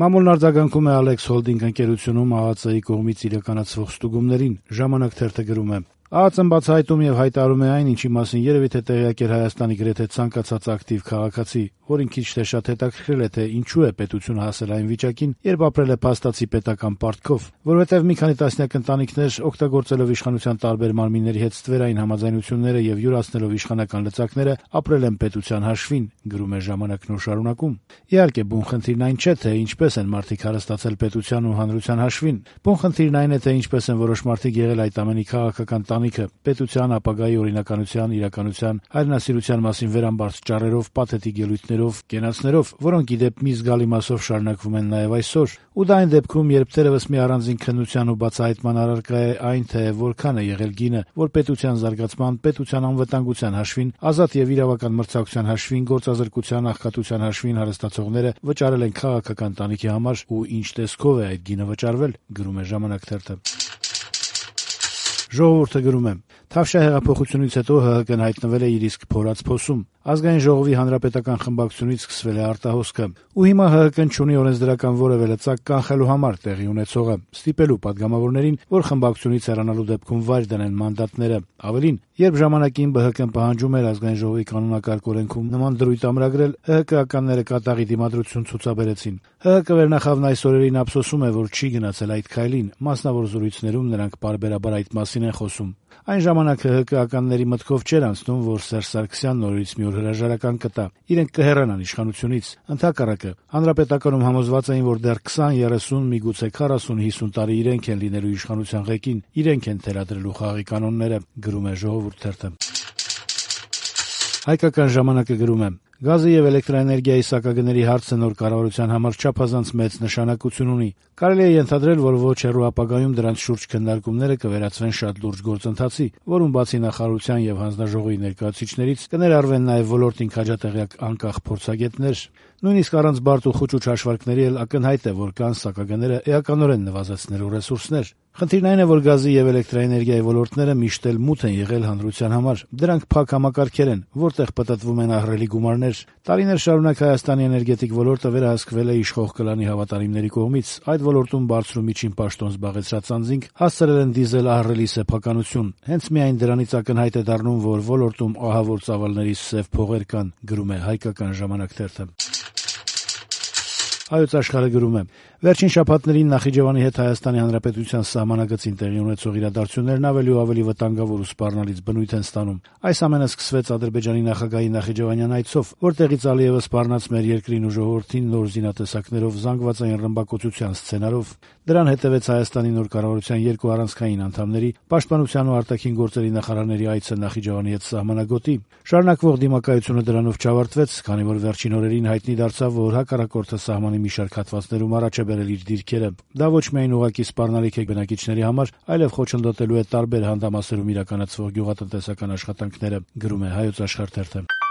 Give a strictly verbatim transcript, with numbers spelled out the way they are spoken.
Մամուլն արձագանքում է Ալեքս Հոլդինգ ընկերությունում ԱԱԾ-ի կողմից իրականացվող ստուգումներին։ Ժամանակ թերթը գրում է. ԱԱԾ-ն բացահայտում եւ հայտարարում է այն, ինչի մասին երեւի թե տեղյակ էր Հայաստանի գրեթե ցանկացած ակտիվ քաղաքացի, որին քիչ թե շատ հետաքրքրել է, թե ինչու է պետությունը հասել այն վիճակին, երբ ապրել է փաստացի պետական պարտքով, որովհետեւ մի քանի տասնյակ ընտանիքներ, օգտագործելով իշխանության տարբեր մարմինների հետ ստվերային համաձայնությունները եւ յուրացնելով իշխանական լծակները, ապրել են պետության հաշվին, գրում է Ժամանակն ու շարունակում. Իհարկե, բուն խնդիրն այն չէ, թե ինչպես են մարդիկ հարստացել պետության ու հանրության հաշվին։ Բուն խնդիրն այն է, թե ինչպես են որոշ մարդիկ եղել այդ ամենի քաղաքական տանիքը, պետության, ապագայի օրինականության, իրականության, հայրենասիրության մասին վերամբարձ ճառերով, պաթետիկ ելույթներով, կենացներով, որոնք ի դեպ մի զգալի մասով շարունակվում են նաեւ այսօր։ Ու դա այն դեպքում, երբ թերևս մի առանձին քննության ու բացահայտման առարկա է այն, թե որքան է եղել գինը, որ պետության զարգացման, պետության անվտանգության հաշվին, ազատ եւ իրավական մրցակցության հաշվին, գործազրկության, աղքատության հաշվին հարստացողները վճարել են քաղաքական տանիքի համար ու ինչ տեսքով է այդ գինը վճարվել, գրում է Ժամանակ թերթը։ Ժողովուրդը գրում է. Թավշյա հեղափոխությունից հետո ՀՀԿ-ն հայտնվել է իր իսկ փորած փոսում։ Ազգային ժողովի հանրապետական խմբակցությունից սկսվել է արտահոսքը, ու հիմա ՀՀԿ-ն չունի օրենսդրական որևէ լծակ կանխելու համար տեղի ունեցողը, ստիպելու падգամավորներին, որ խմբակցությունից հեռանալու դեպքում վայր դնեն մանդատները։ Ավելին, երբ ժամանակին ԲՀԿ-ն պահանջում էր Ազգային ժողովի կանոնակարգ օրենքում նման դրույթ ամրագրել, ՀՀԿ-ականները կատաղի դիմադրություն ցուցաբերեցին։ ՀՀԿ վերնախավն այս օրերին ափսոսում է, որ չի գնացել այդ քայլին, մասնավոր զրույցներում նրանք պարբերաբար այդ մասին են խոսում։ Այն ժամանակ ՀՀԿ-ականների մտքով չէր անցնում, որ Սերժ Սարգսյանն նորից մի օր հրաժարական կտա, իրենք կհեռանան իշխանությունից։ Ընդհակառակը, հանրապետականում համոզված էին, որ դեռ քսան, երեսուն, միգուցե քառասուն, հիսուն տարի իրենք են լինելու իշխանության ղեկին, իրենք են թելադրելու խաղի կանոնները, գրում է Ժողովուրդ թերթը։ Հայկական ժամանակը գրում է. Գազի եւ էլեկտրաէներգիայի սակագների հարցը նոր կառավարության համար չափազանց մեծ նշանակություն ունի։ Կարելի է ենթադրել, որ ոչ հեռու ապագայում դրանց շուրջ քննարկումները կվերածվեն շատ լուրջ գործընթացի, որում բացի նախարարության եւ հանձնաժողովի ներկայացուցիչներից կներառվեն նաեւ ոլորտին քաջատեղյակ անկախ փորձագետներ։ Նույնիսկ առանց բարդ ու խուճուճ հաշվարկների էլ ակնհայտ է, որ կան սակագները էականորեն նվազեցնելու ռեսուրսներ։ Խնդիրն այն է, որ գազի եւ էլեկտրաէներգիայի ոլորտները միշտ էլ մութ են եղել հանրության համար։ Դրանք փակ համակարգեր են, որտեղ պտտվում են ահռելի գումարներ։ Տարիներ շարունակ Հայաստանի էներգետիկ ոլորտը վերահսկվել է իշխող կլանի հավատարիմների կողմից։ Այդ ոլորտում բարձր ու միջին պաշտոն զբաղեցրած անձինք հասցրել են դիզել ահռելի սեփականություն։ Հենց միայն դրանից ակնհայտ է դառնում, որ ոլորտում ահավոր ծավալների սև փողեր կան, գրում է Հայկական ժամանակ թերթը։ Հայոց աշխարհը գրում է. Վերջին շաբաթներին Նախիջևանի հետ Հայաստանի Հանրապետության սահմանագծին տեղի ունեցող իրադարձություններն ավելի ու ավելի վտանգավոր ու սպառնալից բնույթ են ստանում։ Այս ամենը սկսվեց Ադրբեջանի նախագահի նախիջևանյան այցով, որտեղից ալիևը սպառնաց մեր երկրին ու ժողովրդին նոր զինատեսակներով, զանգվածային ռմբակոծության սցենարով։ Դրան հետևեց Հայաստանի նոր կառավարության երկու առանցքային անդամների, պաշտպանության ու արտաքին գործերի նախարարների այցը Նախիջևանի հետ սահմանագոտի։ Շարունակվող դիմակայությունը դրանով չավարտվեց, քանի որ վերջին օրերին հայտնի դարձավ, որ հակառակորդը սահմանի մի շարք հատվածներում առաջ է բերել իր դիրքերը։ Դա ոչ միայն ուղղակի սպառնալիք է բնակիչների համար, այլև խոչընդոտելու է տարբեր հանդամասերում իրականացվող գյուղատնտեսական աշխատանքները, գրում է Հայոց աշխարհ թերթը։